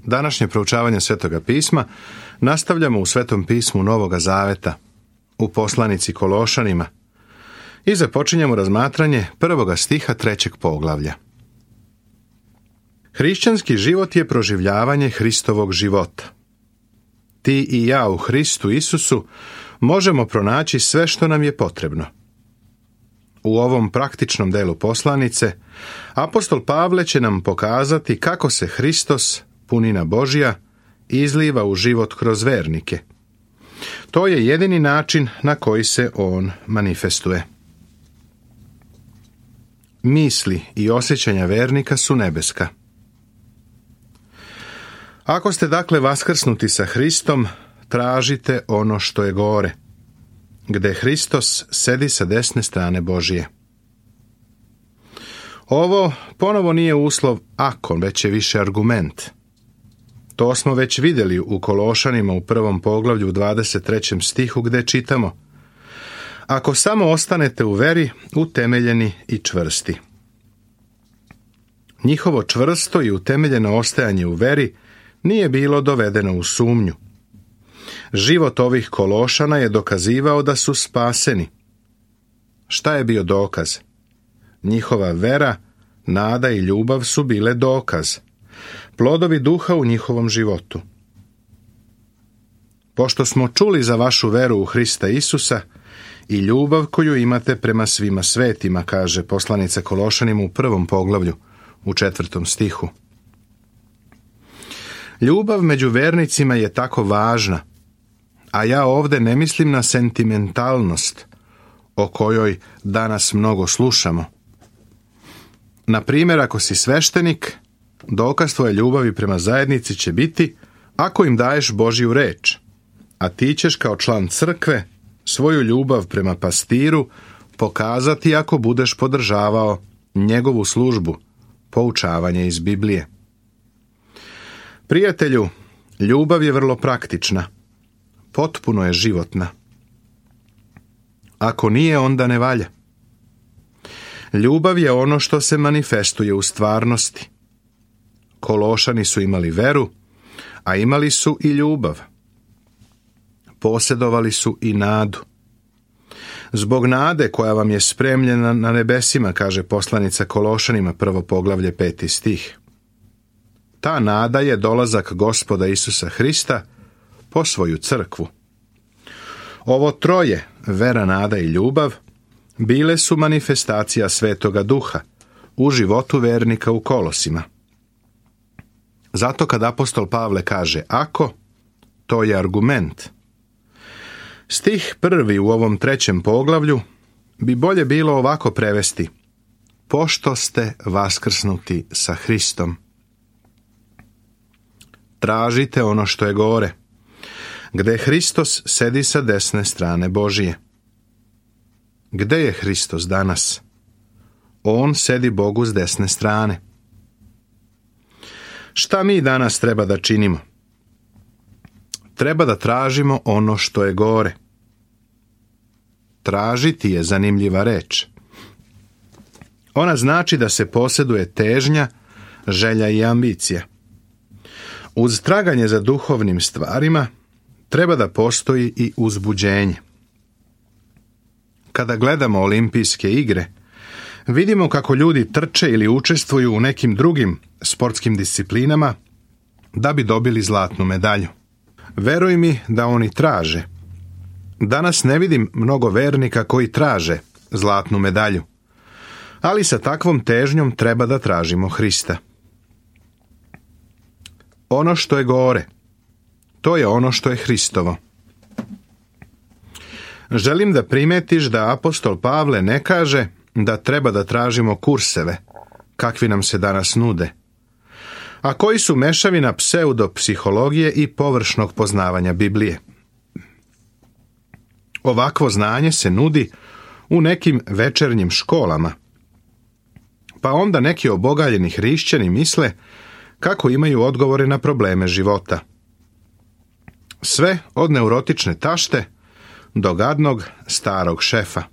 Današnje proučavanje Svetoga pisma nastavljamo u Svetom pismu Novoga Zaveta, u poslanici Kološanima, i započinjemo razmatranje 1. stiha 3. poglavlja. Hrišćanski život je proživljavanje Hristovog života. Ti i ja u Hristu Isusu možemo pronaći sve što nam je potrebno. U ovom praktičnom delu poslanice, apostol Pavle će nam pokazati kako se Hristos, punina Božja, izliva u život kroz vernike. To je jedini način na koji se on manifestuje. Misli i osjećanja vernika su nebeska. Ako ste dakle vaskrsnuti sa Hristom, tražite ono što je gore, gde Hristos sedi sa desne strane Božije. Ovo ponovo nije uslov ako, već je više argument. To smo već vidjeli u Kološanima u 1. poglavlju u 23. stihu gde čitamo: ako samo ostanete u veri, utemeljeni i čvrsti. Njihovo čvrsto i utemeljeno ostajanje u veri nije bilo dovedeno u sumnju. Život ovih Kološana je dokazivao da su spaseni. Šta je bio dokaz? Njihova vera, nada i ljubav su bile dokaz. Plodovi duha u njihovom životu. Pošto smo čuli za vašu veru u Hrista Isusa i ljubav koju imate prema svima svetima, kaže poslanica Kološanima u 1. poglavlju, u 4. stihu. Ljubav među vernicima je tako važna, a ja ovdje ne mislim na sentimentalnost, o kojoj danas mnogo slušamo. Na primjer, ako si sveštenik, dokaz tvoje ljubavi prema zajednici će biti ako im daješ Božju reč, a ti ćeš kao član crkve svoju ljubav prema pastiru pokazati ako budeš podržavao njegovu službu, poučavanje iz Biblije. Prijatelju, ljubav je vrlo praktična, potpuno je životna. Ako nije, onda ne valja. Ljubav je ono što se manifestuje u stvarnosti. Kološani su imali veru, a imali su i ljubav. Posjedovali su i nadu. Zbog nade koja vam je spremljena na nebesima, kaže poslanica Kološanima 1. poglavlje 5. stih. Ta nada je dolazak Gospoda Isusa Hrista po svoju crkvu. Ovo troje, vera, nada i ljubav, bile su manifestacija Svetoga Duha u životu vernika u Kolosima. Zato kad apostol Pavle kaže ako, to je argument. Stih 1. u ovom 3. poglavlju bi bolje bilo ovako prevesti: pošto ste vaskrsnuti sa Hristom. Tražite ono što je gore, gde Hristos sedi sa desne strane Božije. Gde je Hristos danas? On sedi Bogu s desne strane. Šta mi danas treba da činimo? Treba da tražimo ono što je gore. Tražiti je zanimljiva reč. Ona znači da se posjeduje težnja, želja i ambicija. Uz traganje za duhovnim stvarima treba da postoji i uzbuđenje. Kada gledamo olimpijske igre, vidimo kako ljudi trče ili učestvuju u nekim drugim sportskim disciplinama da bi dobili zlatnu medalju. Veruj mi da oni traže. Danas ne vidim mnogo vernika koji traže zlatnu medalju, ali sa takvom težnjom treba da tražimo Hrista. Ono što je gore, to je ono što je Hristovo. Želim da primetiš da apostol Pavle ne kaže da treba da tražimo kurseve, kakvi nam se danas nude, a koji su mešavina pseudopsihologije i površnog poznavanja Biblije. Ovakvo znanje se nudi u nekim večernjim školama, pa onda neki obogaljeni hrišćani misle kako imaju odgovore na probleme života. Sve od neurotične tašte do gadnog starog šefa.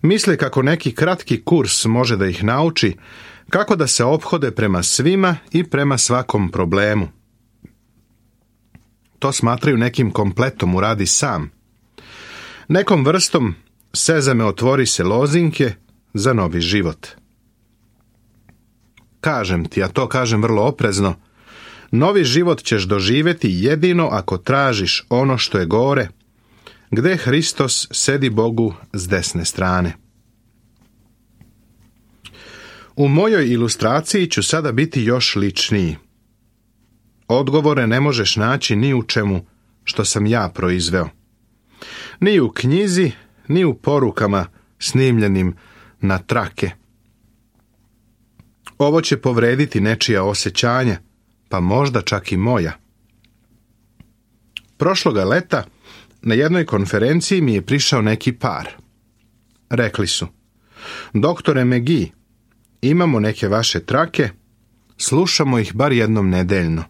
Misle kako neki kratki kurs može da ih nauči Kako da se ophode prema svima i prema svakom problemu. To smatraju nekim kompletom uradi sam. Nekom vrstom sezame otvori se lozinke za novi život. Kažem ti, a to kažem vrlo oprezno, novi život ćeš doživjeti jedino ako tražiš ono što je gore, gdje Hristos sedi Bogu s desne strane. U mojoj ilustraciji ću sada biti još ličniji. Odgovore ne možeš naći ni u čemu što sam ja proizveo. Ni u knjizi, ni u porukama snimljenim na trake. Ovo će povrediti nečija osjećanja, pa možda čak i moja. Prošloga leta na jednoj konferenciji mi je prišao neki par. Rekli su: doktore McGee, imamo neke vaše trake, slušamo ih bar jednom nedeljno.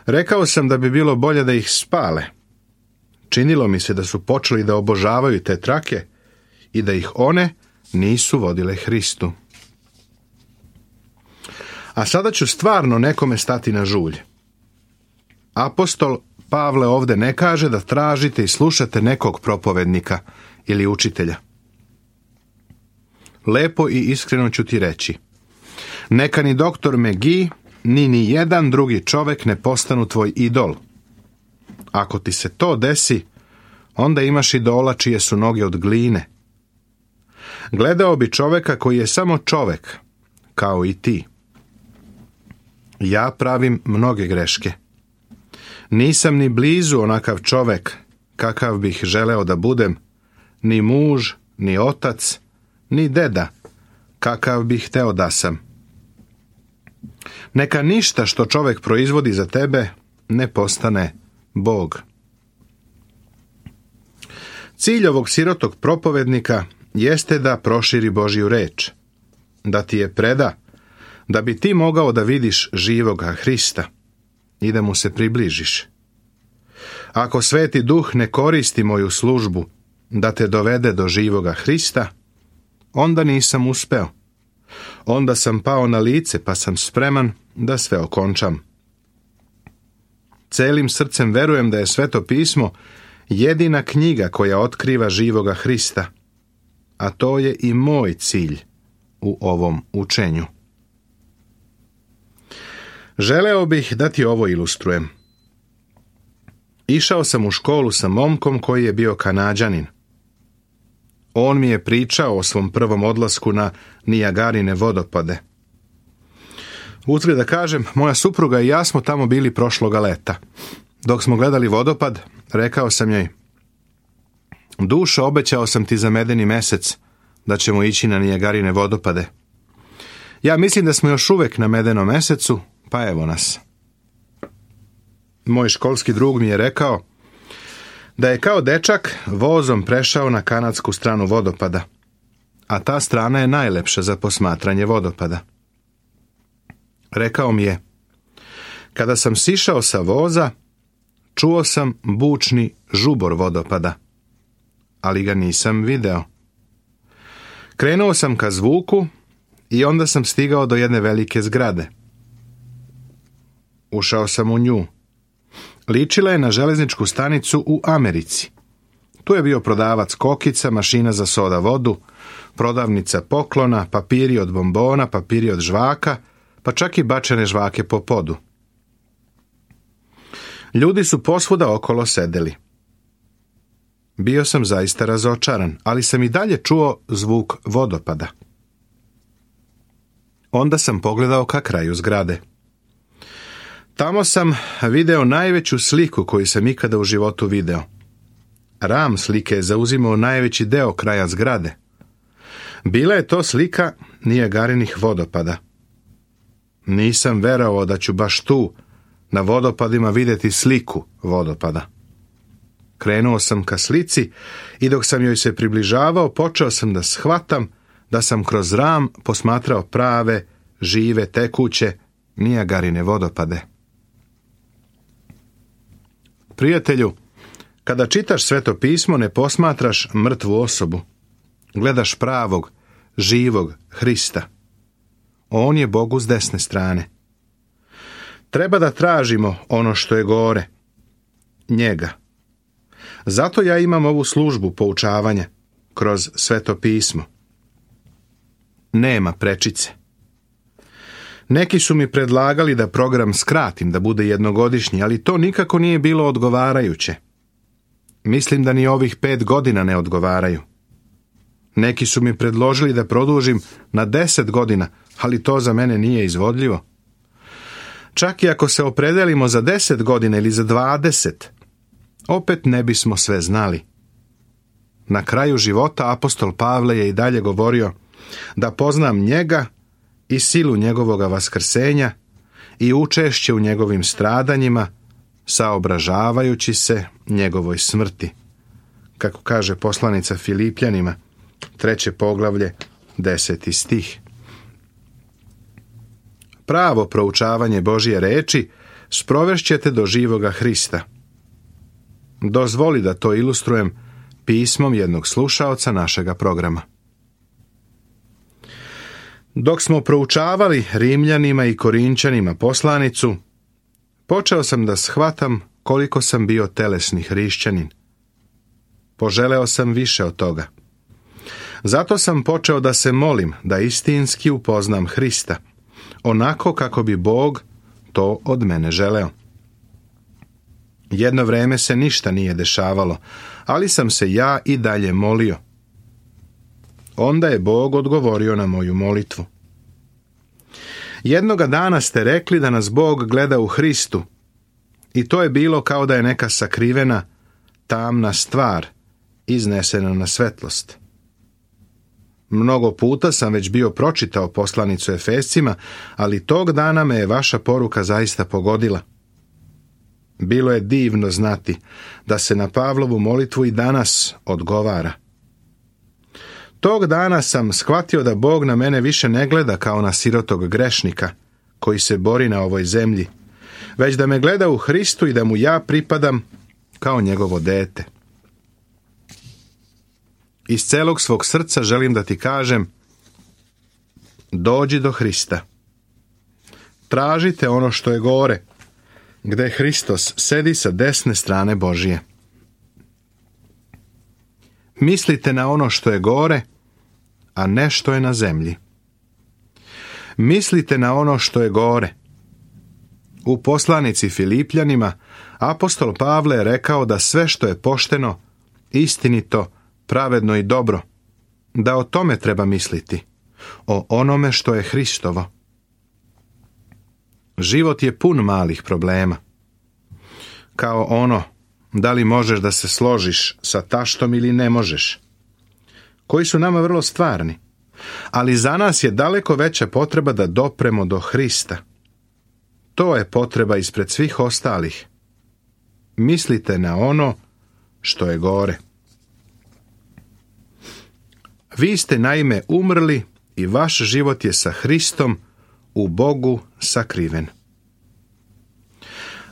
Rekao sam da bi bilo bolje da ih spale. Činilo mi se da su počeli da obožavaju te trake i da ih one nisu vodile Hristu. A sada ću stvarno nekome stati na žulj. Apostol Pavle ovdje ne kaže da tražite i slušate nekog propovednika ili učitelja. Lepo i iskreno ću ti reći. Neka ni doktor McGee, ni jedan drugi čovjek ne postanu tvoj idol. Ako ti se to desi, onda imaš idola čije su noge od gline. Gledao bi čovjeka koji je samo čovjek, kao i ti. Ja pravim mnoge greške. Nisam ni blizu onakav čovjek kakav bih želeo da budem, ni muž, ni otac, ni deda kakav bih hteo da sam. Neka ništa što čovjek proizvodi za tebe ne postane Bog. Cilj ovog sirotog propovednika jeste da proširi Božju reč, da ti je preda, da bi ti mogao da vidiš živoga Hrista i da mu se približiš. Ako Sveti Duh ne koristi moju službu da te dovede do živoga Hrista, onda nisam uspeo. Onda sam pao na lice pa sam spreman da sve okončam. Celim srcem verujem da je Sveto pismo jedina knjiga koja otkriva živoga Hrista, a to je i moj cilj u ovom učenju. Želeo bih da ti ovo ilustrujem. Išao sam u školu sa momkom koji je bio Kanađanin. On mi je pričao o svom prvom odlasku na Nijagarine vodopade. Uzgred da kažem, moja supruga i ja smo tamo bili prošloga leta. Dok smo gledali vodopad, rekao sam joj: dušo, obećao sam ti za medeni mesec da ćemo ići na Nijagarine vodopade. Ja mislim da smo još uvek na medenom mesecu, pa evo nas. Moj školski drug mi je rekao da je kao dečak vozom prešao na kanadsku stranu vodopada, a ta strana je najlepša za posmatranje vodopada. Rekao mi je: kada sam sišao sa voza, čuo sam bučni žubor vodopada, ali ga nisam video. Krenuo sam ka zvuku i onda sam stigao do jedne velike zgrade. Ušao sam u nju. Ličila je na železničku stanicu u Americi. Tu je bio prodavac kokica, mašina za soda vodu, prodavnica poklona, papiri od bombona, papiri od žvaka, pa čak i bačene žvake po podu. Ljudi su posvuda okolo sedeli. Bio sam zaista razočaran, ali sam i dalje čuo zvuk vodopada. Onda sam pogledao ka kraju zgrade. Tamo sam video najveću sliku koju sam ikada u životu video. Ram slike je zauzimao najveći deo kraja zgrade. Bila je to slika Nijagarinih vodopada. Nisam verovao da ću baš tu, na vodopadima, vidjeti sliku vodopada. Krenuo sam ka slici i dok sam joj se približavao, počeo sam da shvatam da sam kroz ram posmatrao prave, žive, tekuće Nijagarine vodopade. Prijatelju, kada čitaš Sveto pismo, ne posmatraš mrtvu osobu. Gledaš pravog, živog Hrista. On je Bogu s desne strane. Treba da tražimo ono što je gore, njega. Zato ja imam ovu službu poučavanja kroz Sveto pismo. Nema prečice. Neki su mi predlagali da program skratim, da bude jednogodišnji, ali to nikako nije bilo odgovarajuće. Mislim da ni ovih 5 godina ne odgovaraju. Neki su mi predložili da produžim na 10 godina, ali to za mene nije izvodljivo. Čak i ako se opredelimo za 10 godina ili za 20, opet ne bismo sve znali. Na kraju života apostol Pavle je i dalje govorio da poznam njega i silu njegovoga vaskrsenja i učešće u njegovim stradanjima, saobražavajući se njegovoj smrti. Kako kaže poslanica Filipljanima, 3. poglavlje, 10. stih. Pravo proučavanje Božje reči sprovešćete do živoga Hrista. Dozvoli da to ilustrujem pismom jednog slušaoca našega programa. Dok smo proučavali Rimljanima i Korinčanima poslanicu, počeo sam da shvatam koliko sam bio telesni hrišćanin. Poželeo sam više od toga. Zato sam počeo da se molim da istinski upoznam Hrista, onako kako bi Bog to od mene želeo. Jedno vreme se ništa nije dešavalo, ali sam se ja i dalje molio. Onda je Bog odgovorio na moju molitvu. Jednoga dana ste rekli da nas Bog gleda u Hristu i to je bilo kao da je neka sakrivena, tamna stvar iznesena na svetlost. Mnogo puta sam već bio pročitao poslanicu Efescima, ali tog dana me je vaša poruka zaista pogodila. Bilo je divno znati da se na Pavlovu molitvu i danas odgovara. Tog dana sam shvatio da Bog na mene više ne gleda kao na sirotog grešnika koji se bori na ovoj zemlji, već da me gleda u Hristu i da mu ja pripadam kao njegovo dete. Iz celog svog srca želim da ti kažem, dođi do Hrista. Tražite ono što je gore, gde Hristos sedi sa desne strane Božije. Mislite na ono što je gore, a ne što je na zemlji. Mislite na ono što je gore. U poslanici Filipljanima apostol Pavle je rekao da sve što je pošteno, istinito, pravedno i dobro, da o tome treba misliti, o onome što je Hristovo. Život je pun malih problema. Kao ono, da li možeš da se složiš sa taštom ili ne možeš, koji su nama vrlo stvarni, ali za nas je daleko veća potreba da dopremo do Hrista. To je potreba ispred svih ostalih. Mislite na ono što je gore. Vi ste naime umrli i vaš život je sa Hristom u Bogu sakriven.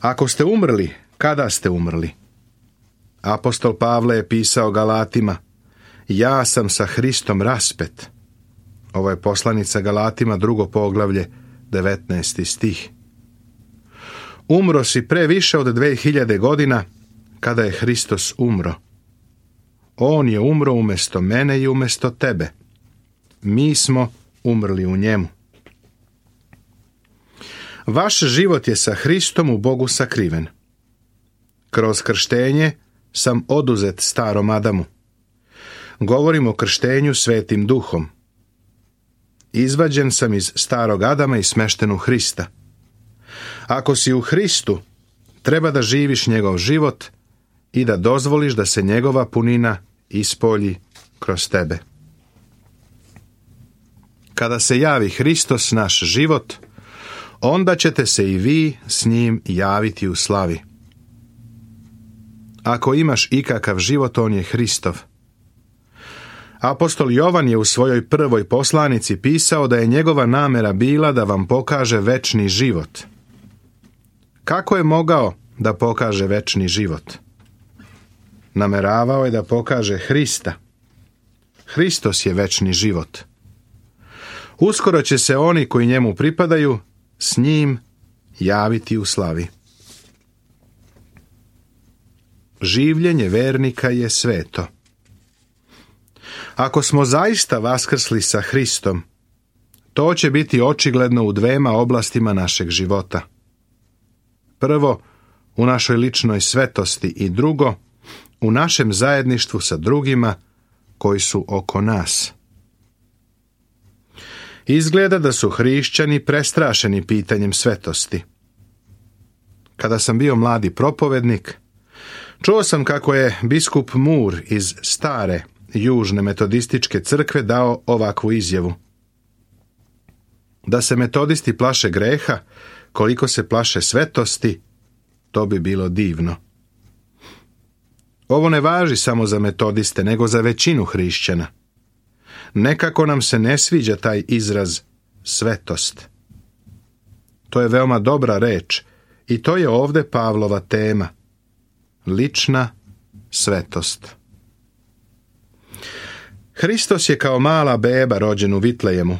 Ako ste umrli, kada ste umrli? Apostol Pavle je pisao Galatima, ja sam sa Hristom raspet. Ovo je poslanica Galatima, 2. poglavlje, 19. stih. Umro si pre više od 2000 godina kada je Hristos umro. On je umro umjesto mene i umjesto tebe. Mi smo umrli u njemu. Vaš život je sa Hristom u Bogu sakriven. Kroz krštenje sam oduzet starom Adamu. Govorim o krštenju Svetim Duhom. Izvađen sam iz starog Adama i smešten u Hrista. Ako si u Hristu, treba da živiš njegov život i da dozvoliš da se njegova punina ispolji kroz tebe. Kada se javi Hristos, naš život, onda ćete se i vi s njim javiti u slavi. Ako imaš ikakav život, on je Hristov. Apostol Jovan je u svojoj prvoj poslanici pisao da je njegova namera bila da vam pokaže večni život. Kako je mogao da pokaže večni život? Nameravao je da pokaže Hrista. Hristos je večni život. Uskoro će se oni koji njemu pripadaju s njim javiti u slavi. Življenje vernika je sveto. Ako smo zaista vaskrsli sa Hristom, to će biti očigledno u dvema oblastima našeg života. Prvo, u našoj ličnoj svetosti i drugo, u našem zajedništvu sa drugima koji su oko nas. Izgleda da su hrišćani prestrašeni pitanjem svetosti. Kada sam bio mladi propovednik, čuo sam kako je biskup Moore iz stare južne metodističke crkve dao ovakvu izjavu. Da se metodisti plaše greha, koliko se plaše svetosti, to bi bilo divno. Ovo ne važi samo za metodiste, nego za većinu hrišćana. Nekako nam se ne sviđa taj izraz svetost. To je veoma dobra reč i to je ovdje Pavlova tema. Lična svetost. Hristos je kao mala beba rođen u Vitlejemu,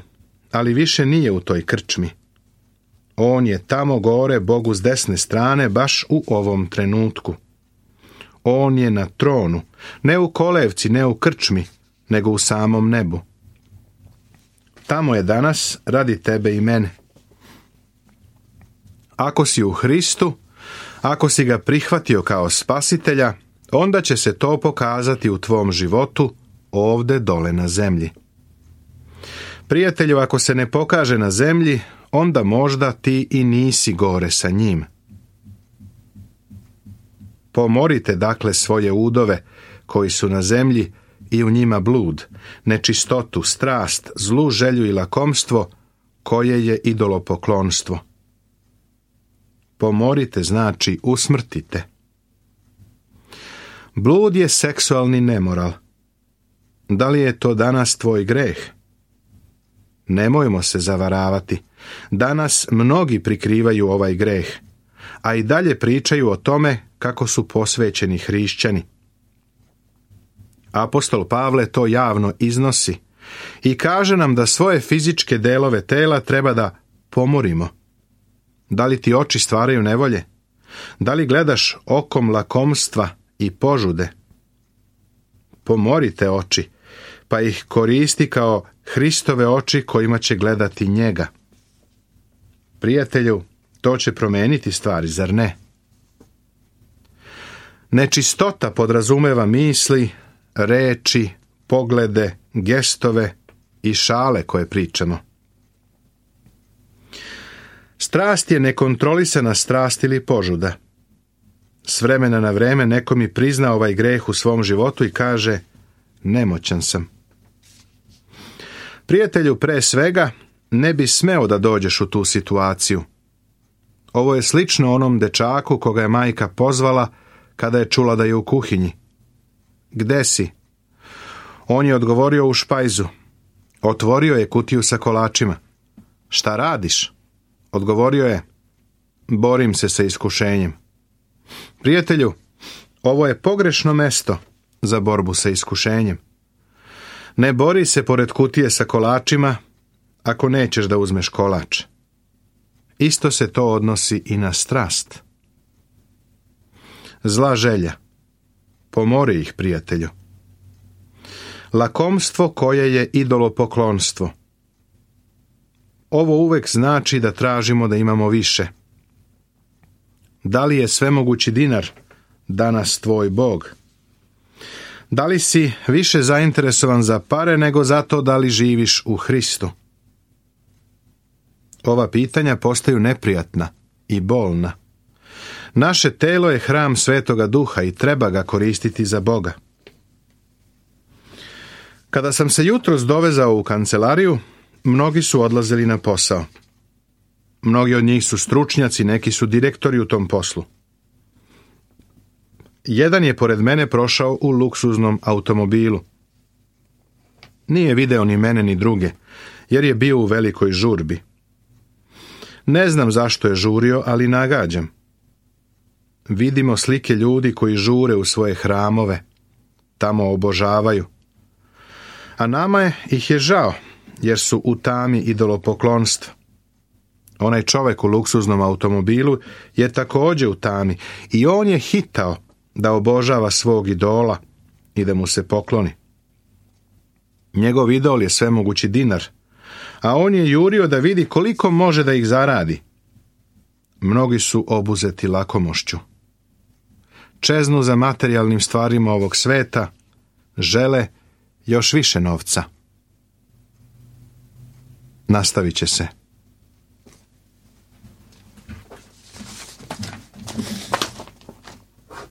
ali više nije u toj krčmi. On je tamo gore Bogu s desne strane baš u ovom trenutku. On je na tronu, ne u kolevci, ne u krčmi, nego u samom nebu. Tamo je danas radi tebe i mene. Ako si u Hristu, ako si ga prihvatio kao spasitelja, onda će se to pokazati u tvom životu ovde dole na zemlji. Prijatelju, ako se ne pokaže na zemlji, onda možda ti i nisi gore sa njim. Pomorite dakle svoje udove koji su na zemlji i u njima blud, nečistotu, strast, zlu želju i lakomstvo koje je idolopoklonstvo. Pomorite znači usmrtite. Blud je seksualni nemoral. Da li je to danas tvoj greh? Nemojmo se zavaravati. Danas mnogi prikrivaju ovaj greh, a i dalje pričaju o tome kako su posvećeni hrišćani. Apostol Pavle to javno iznosi i kaže nam da svoje fizičke delove tela treba da pomorimo. Da li ti oči stvaraju nevolje? Da li gledaš okom lakomstva i požude? Pomorite oči, pa ih koristi kao Hristove oči kojima će gledati njega. Prijatelju, to će promeniti stvari, zar ne? Nečistota podrazumeva misli, reči, poglede, gestove i šale koje pričamo. Strast je nekontrolisana strast ili požuda. S vremena na vreme neko mi prizna ovaj greh u svom životu i kaže: nemoćan sam. Prijatelju, pre svega, ne bi smeo da dođeš u tu situaciju. Ovo je slično onom dečaku koga je majka pozvala kada je čula da je u kuhinji. Gde si? On je odgovorio: u špajzu. Otvorio je kutiju sa kolačima. Šta radiš? Odgovorio je: borim se sa iskušenjem. Prijatelju, ovo je pogrešno mesto za borbu sa iskušenjem. Ne bori se pored kutije sa kolačima ako nećeš da uzmeš kolač. Isto se to odnosi i na strast. Zla želja. Pomori ih, prijatelju. Lakomstvo koje je idolopoklonstvo. Ovo uvek znači da tražimo da imamo više. Da li je svemogući dinar danas tvoj Bog? Da li si više zainteresovan za pare nego za to da li živiš u Hristu? Ova pitanja postaju neprijatna i bolna. Naše telo je hram Svetoga Duha i treba ga koristiti za Boga. Kada sam se jutros dovezao u kancelariju, mnogi su odlazili na posao. Mnogi od njih su stručnjaci, neki su direktori u tom poslu. Jedan je pored mene prošao u luksuznom automobilu. Nije video ni mene ni druge, jer je bio u velikoj žurbi. Ne znam zašto je žurio, ali nagađam. Vidimo slike ljudi koji žure u svoje hramove, tamo obožavaju. A nama ih je žao, jer su u tami idolopoklonstva. Onaj čovjek u luksuznom automobilu je također u tami i on je hitao da obožava svog idola i da mu se pokloni. Njegov idol je svemogući dinar, a on je jurio da vidi koliko može da ih zaradi. Mnogi su obuzeti lakomošću. Čeznu za materijalnim stvarima ovog sveta, žele još više novca. Nastavit će se.